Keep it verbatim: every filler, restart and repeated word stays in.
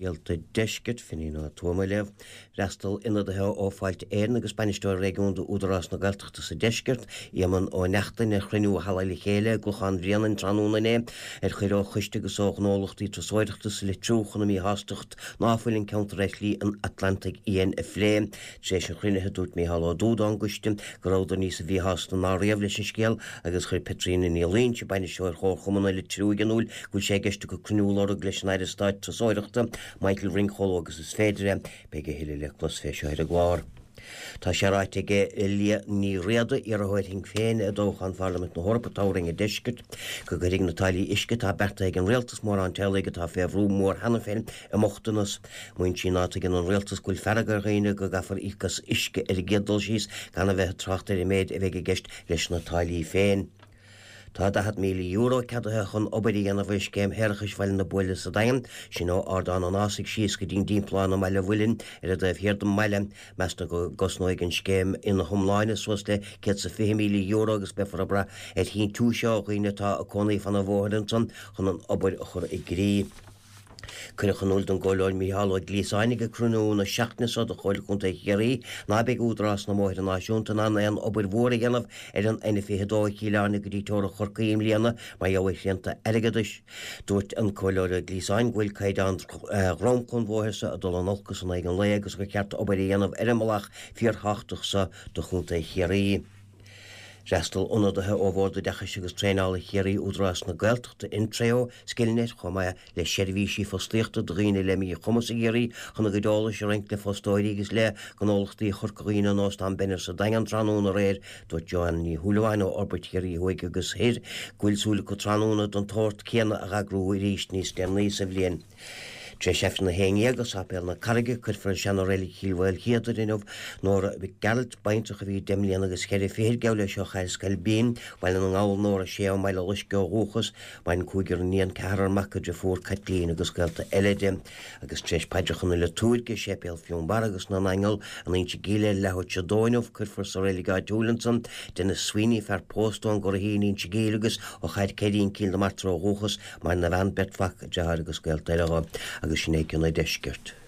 Scéalta Deiscirt, Finín Ó Tuama ag léamh. D'fhreastail ionadaithe ó Fáilte Éireann agus Bainisteoir Réigiúnda Údarás na Gaeltachta sa Deisceart, Éamonn Ó Neachtain, ar chruinniú a Halla le Chéile i gClochán Bhréanainn tráthnóna inné ar chuireadh ó choiste agus ó ghnólachtaí turasóireachta sa Leitriúch chun a míshástacht ná fuil an ceantar ar Shlí an Atlantaigh Fhiáin a phlé. Tar éis an chruinnithe dúirt Mícheál Ó Dúda ón gcoiste go rabhadar níosa mhíshásta ná riamh leis an scéal agus chuir Petríona Ní Loingsigh, Bainisteoir Chomharchumann an Leitriúigh in iúl go bhfuil sé i gceist acu cruinniú a lorg leis an Aire Stáit Turasóireachta, Michael Ring chomh luath agus is féidir é. Beidh a thuilleadh le clos fé seo ar an gclár. Tá sé ráite ag Liadh Ní Riada, iarrthóir Shinn Féin i dtoghchán Pharlaimint na hEorpa, toghroinn an Deiscirt, go gcuirfidh na táillí uisce atá beartaithe ag an rialtas mórán teaghlaigh atá fé bhrú mór cheana féin i mbochtanas. Maíonn sí ná tuigeann an rialtas go bhfuil fearg ar dhaoine go gcaithfear íoc as uisce ar an gcéad dul síos gan a bheith ag trácht ar an méid a bheidh i gceist leis na táillí féin. Tá daichead míle euro ceadaithe chun obair a dhéanamh ar scéim shéarachais Bhaile na Buaile sa Daingean, sin ó Ardán an Fhásaigh síos go dtí'n dtimpeallán i mBaile Mhuilinn ar an dtaobh thiar den mbaile. Meastar go gcosnóidh an scéim ina hiomláine suas le céad 's a fiche míle euro agus beifear ag brath ar shíntiúis ó dhaoine atá ag cónaí fan an bhóthair ansan chun an obair a chur i gcrích. Cuireadh in iúl don gComhairleoir Mícheál Ó Gliasáin ag cruinniú na seachtaine seo de Chomhairle Contae Chiarraí ná beidh Údarás na mBóithre Náisiúnta in ann aon obair mhór a dhéanamh ar an N fiche dó ó Chill Airne go dtí teorainn Chorcaí i mbliana mar gheall ar shrianta airgeadais. Dúirt an Comhairleoir Ó Gliasáin go bhfuil caighdeán dhromchla an bhóthair seo ag dul in olcas in aghaidh an lae agus gur cheart obair a dhéanamh ar an mbealach fíorthábhachtach seo do Chontae Chiarraí. D'fhreastail ionadaithe ó Bhord Oideachais agus Traenála Chiarraí, Údarás na Gaeltachta, Intreo, Skillnet, chomh maith le seirbhísí fostaíochta do dhaoine le míchumas i gCiarraí chun a gcuid eolais a roinnt le fostóirí agus le gnólachtaí Chorca Dhuibhne in Óstán Benner sa Daingean tráthnóna aréir. Dúirt Joanne Ní Shúilleabháin ó Fhorbairt Chiarraí Thuaidh agus Thoir go bhfuil súil acu tráthnóna den tsórt céanna a eagrú arís níos deireanaí sa bhliain. Tar éis Aifreann a haon dhéag i Sáipéal na Carraige, cuirfear i seana-reilig Chill Mhaoilchéadair inniu Nóra Mhic Gearailt, baintreach a bhí deich mbliana agus ceithre fichid, gabh leis ó Chathair Scailpín, Baile na nGall, Nóra Sé ó mBaile Loiscthe ó dhúchas, maireann cúigear iníon, ceathrar mac, deirfiúr Caitlín agus gaolta eile di. Agus tar éis paidreacha na liotúirge i Séipéal Fionnbarra agus na nAingeal in Inse Gíle ar leathuair tar éis a dó inniu, cuirfear sa reilig áitiúil ansan Denis Sweeney, fear pósta ón gCurraichín, Inse Gíle agus ó Chathair Ceirín, Cill na Martra ó dhúchas, maireann a bhean, beirt mhac, deartháir agus gaolta eile dho, agus sin é cionn an deiscirt.